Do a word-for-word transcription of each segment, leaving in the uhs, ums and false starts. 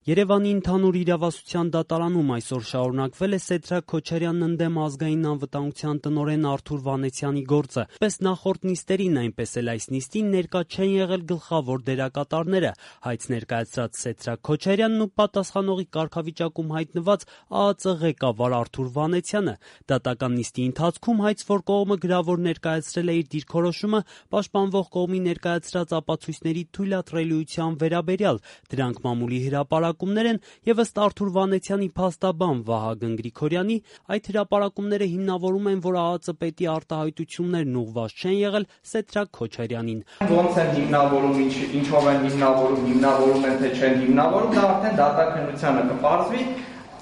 Երևանի ընդհանուր իրավասության դատարանում այսօր շարունակվել է Սեդրակ Քոչարյանն ընդդեմ ազգային անվտանգության տնօրեն Արթուր Վանեցյանի գործը։ Պես նախորդ նիստերին, այնպես էլ այս նիստին ներկա չեն եղել գլխավոր դերակատարները, հայց ներկայացրած Սեդրակ Քոչարյանն ու պատասխանողի կարգավիճակում հայտնված ԱԱԾ ղեկավար Արթուր Վանեցյանը։ Դատական նիստի ընթացքում հայց որ կողմը գրավոր ներկայացրել է իր դիրքորոշումը պաշտպանվող կողմի ներկայացրած ապացույցների թույլատրելիության վերաբերյալ, դրանք մամուլի հրապարակ են եւ ըստ Արթուր Վանեցյանի փաստաբան Վահագն Գրիգորյանի, այդ հրապարակումները հիմնավորում են, որ ԱԱԾ պետի արտահայտություններն ուղղված չեն եղել Սեդրակ Քոչարյանին։ Ոնց են հիմնավորում, ինչ, ինչով են հիմնավորում, հիմնավորում են թե չեն հիմնավորում, դա արդեն դատաքննությանը կպարզվի։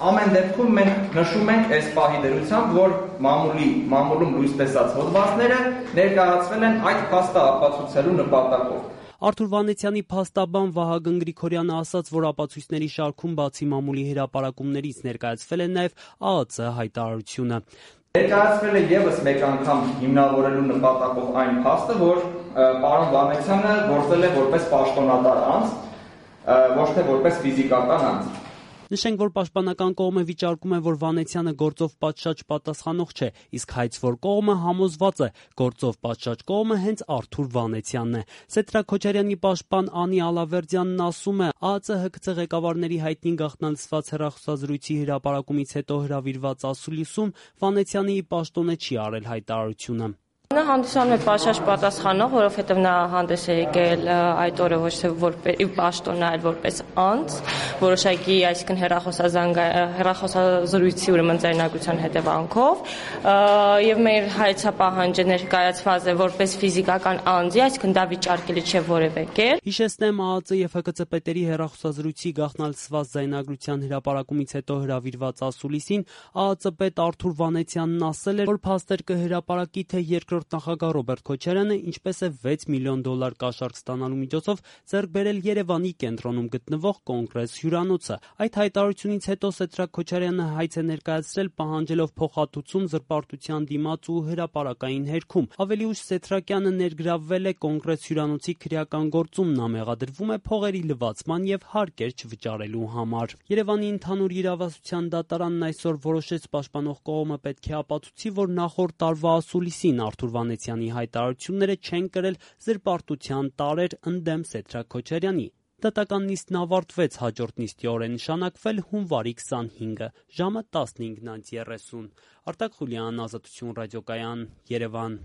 Ամեն դեպքում մենք նշում ենք այս պահի դրությամբ, որ մամուլի մամուլում լույս տեսած հոդվածները ներկայացվել են այդ փաստը ապացուցելու նպատակով։ Արթուր Վանեցյանի փաստաբան Վահագն Գրիգորյանը ասաց, որ ապացույցների շարքում բացի մամուլի հրապարակումներից ներկայացվել է նաև ԱԱԾ հայտարարությունը։ Ներկայացվել է եւս մեկ անգամ հիմնավորելու նպատակով այն փաստը, որ պարոն Վանեցյանը գործել է որպես պաշտոնատար անձ, ոչ թե որպես ֆիզիկական անձ։ Նշենք, որ պաշտպանական կողմը վիճարկում է, որ Վանեցյանը գործով պատշաճ պատասխանող չէ, իսկ հայց որ կողմը համոզված է, գործով պատշաճ կողմը հենց Արթուր Վանեցյանն է։ Սեդրակ Քոչարյանի պաշտպան Անի Ալավերդյանն ասում է, ԱԱԾ ՀԿՑ ղեկավարների հայտնի գաղտնալսված հեռախոսազրույցի հրապարակումից հետո հրավիրված ասուլիսում Վանեցյանը ի պաշտոնե չի արել հայտարարությունը։ Նա հանդիսանում է պատշաճ պատասխանող, որովհետև նա հանդես է եկել այդ օրը ոչ թե որպես պաշտոն, այլ որպես անձ, որոշակի, այսինքն հեռախոսազրույցի ուրեմն ձայնագրության հետևանքով, եւ մեր հայցապահանջը ներկայացված է որպես ֆիզիկական անձի, այսինքն դա վիճարկելի չէ որևէ կերպ։ Հիշեցնեմ, ԱԱԾ եւ ՀԿՑ պետերի հեռախոսազրույցի գաղտնալսված ձայնագրության հրապարակումից հետո հրավիրված ասուլիսին ԱԱԾ պետ Արթուր Վանեցյանն ասել էր, որ փաստեր կհրապարակի, թե երկրորդ նախագահ Ռոբերտ Քոչարյանը ինչպես է վեց միլիոն դոլար կաշառք ստանալու միջոցով ձեռք բերել Երևանի կենտրոնում գտնվող Կոնգրես հյուրանոցը։ Այդ հայտարարությունից հետո Սեդրակ Քոչարյանը հայց է ներկայացրել պահանջելով փոխհատուցում զրպարտության դիմաց ու հրապարակային հերքում։ Ավելի ուշ Սեդրակյանը ներգրավվել է Կոնգրես հյուրանոցի քրեական գործում, նա մեղադրվում է փողերի լվացման եւ հարկեր չվճարելու համար։ Երևանի ընդհանուր իրավասության դատարանն այսօր որոշեց պաշտպանող կողմը պետք է ապացուցի, որ նախորդ տարվա ասուլիսին Արթուր Վանեցյանի հայտարարությունները չեն կրել զրպարտության տարեր ընդդեմ Սեդրակ Քոչարյանի։ Դատական նիստն ավարտվեց, հաջորդ նիստի օր է նշանակվել հունվարի քսանհինգը, ժամը տասնհինգ երեսուն։ Արտակ Խուլյան, Ազատություն ռադիոկայան, Երևան։